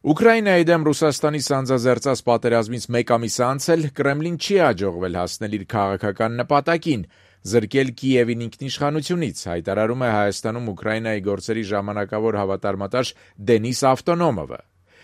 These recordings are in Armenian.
Ուկրաինայի դեմ Ռուսաստանի սանձազերծած պատերազմից մեկ ամիս անց էլ Կրեմլին չի հաջողվել հասնել իր քաղաքական նպատակին՝ զրկել Կիևին ինքնիշխանությունից, հայտարարում է Հայաստանում Ուկրաինայի գործերի ժամանակավոր հավատարմատար Դենիս Ավտոնոմովը։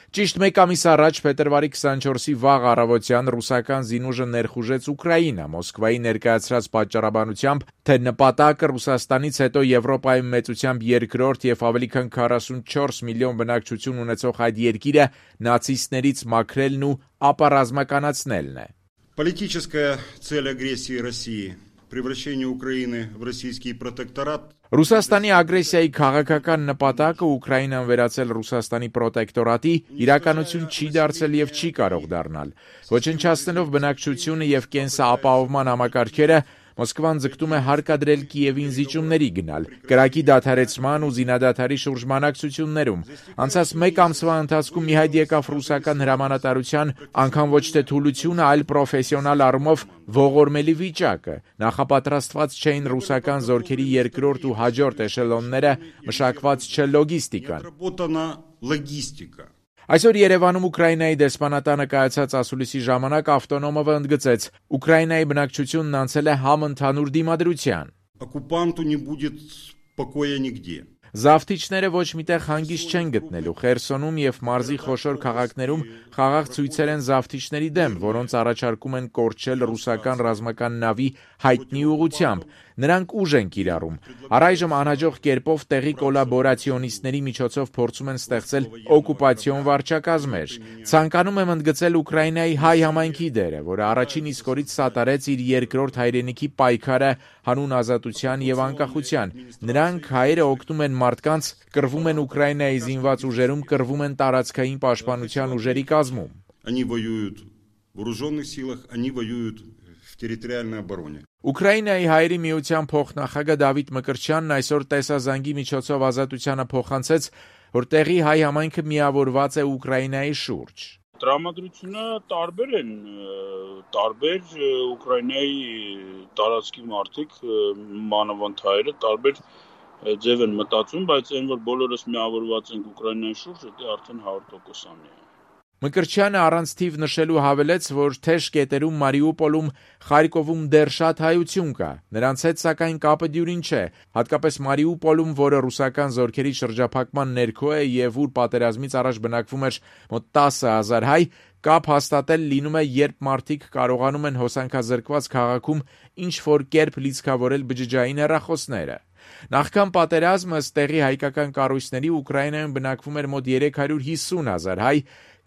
Ճիշտ մեկ ամիս առաջ, փետրվարի 24-ի վաղ առավոտյան ռուսական զինուժը ներխուժեց Ուկրաինա, Մոսկվայի ներկայացրած պատճառաբանությամբ, թե նպատակը Ռուսաստանից հետո Եվրոպայում մեծությամբ երկրորդ եւ ավելի քան 44 միլիոն բնակչություն ունեցող այդ երկիրը նացիստներից մաքրելն ու ապառազմականացնելն է։ Политическая цель агрессии России превращение Украины в российский протекторат. Ռուսաստանի ագրեսիայի քաղաքական նպատակը Ուկրաինան վերածել Ռուսաստանի պրոտեկտորատի իրականություն չի դարձել եւ չի կարող դառնալ։ Ոչնչացնելով բնակչությունը եւ կենսապահովման համակարգերը, Մոսկվան ձգտում է հարկադրել Կիևին զիջումների գնալ, կրակի դադարեցման ու զինադադարի շուրջ բանակցություններում։ Անցած մեկ ամսվա ընթացքում մի հայտ եկավ ռուսական հրամանատարության անգամ ոչ թե թուլությունը, այլ պրոֆեսիոնալ առումով ողորմելի վիճակը։ Նախապատրաստված չէին ռուսական զորքերի երկրորդ ու հաջորդ էշելոնները, մշակված չէ լոգիստիկան։ Այսօր Երևանում Ուկրաինայի դեսպանատանը կայացած ասուլիսի ժամանակ Ավտոնոմովը ընդգծեց. Ուկրաինայի բնակչությունն անցել է համընդհանուր դիմադրության։ Оккупанту не будет покоя нигде. Զավթիչները ոչ միտեղ հանգիստ չեն գտնելու։ Խերսոնում եւ մարզի խոշոր քաղաքներում խաղաղ ցույցեր են զավթիչների դեմ, որոնց առաջարկում են կորչել ռուսական ռազմական նավի հայտնի ուղղությամբ։ Նրանք ուժ են կիրառում։ Առայժմ անհաջող կերպով տեղի կոլաբորացիոնիստների միջոցով փորձում են ստեղծել օկուպացիոն վարչակազմեր։ Ցանկանում եմ ընդգծել Ուկրաինայի հայ համայնքի դերը, որը առաջին իսկ օրից սատարեց իր երկրորդ հայրենիքի պայքարը հանուն ազատության եւ անկախության։ Նրանք հայերը օգնում են մարդկանց, կռվում են Ուկրաինայի զինված ուժերում, կռվում են տարածքային պաշտպանության ուժերի կազմում։ Они воюют в вооруженных силах, они воюют в территориальной обороне. Ուկրաինայի հայերի միության փոխնախագահ Դավիթ Մկրտչյանն այսօր տեսազանգի միջոցով ազատությանը փոխանցեց, որ տեղի հայ համայնքը միավորված է Ուկրաինայի շուրջ։ Տրամադրությունը տարբեր են, տարբեր Ուկրաինայի տարածքի մարդիկ, մանավանդ հայերը, տարբեր ձև են մտածում, բայց այն որ բոլորս միավորված ենք Ուկրաինայի շուրջ, դա արդեն 100%-անի է։ Մկրտչյանը առանց թիվ նշելու հավելեց, որ թեժ կետերում Մարիուպոլում, Խարկովում դեռ շատ հայություն կա։ Նրանց հետ սակայն կապը դյուրին չէ, հատկապես Մարիուպոլում, որը ռուսական զորքերի շրջափակման ներքո է եւ ուր պատերազմից առաջ բնակվում էր մոտ 10,000 հայ, կապ հաստատել լինում է, երբ մարդիկ կարողանում են հոսանքազրկված քաղաքում ինչ-որ կերպ լիցքավորել բջջային հեռախոսները։ Նախքան պատերազմը տեղի հայկական կառույցների Ուկրաինայում բնակվում էր մոտ 350,000 հայ,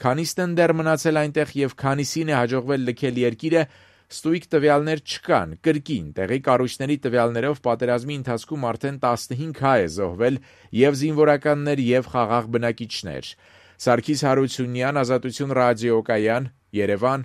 քանիսն դեռ մնացել այնտեղ եւ քանիսին է հաջողվել լքել երկիրը, ստույգ տվյալներ չկան, կրկին տեղի կառույցների տվյալներով պատերազմի ընթացքում արդեն 15 հայ է զոհվել եւ զինվորականներ եւ խաղաղ բնակիչներ։ Սարգիս Հարությունյան, Ազատություն ռադիոկայան, Երևան,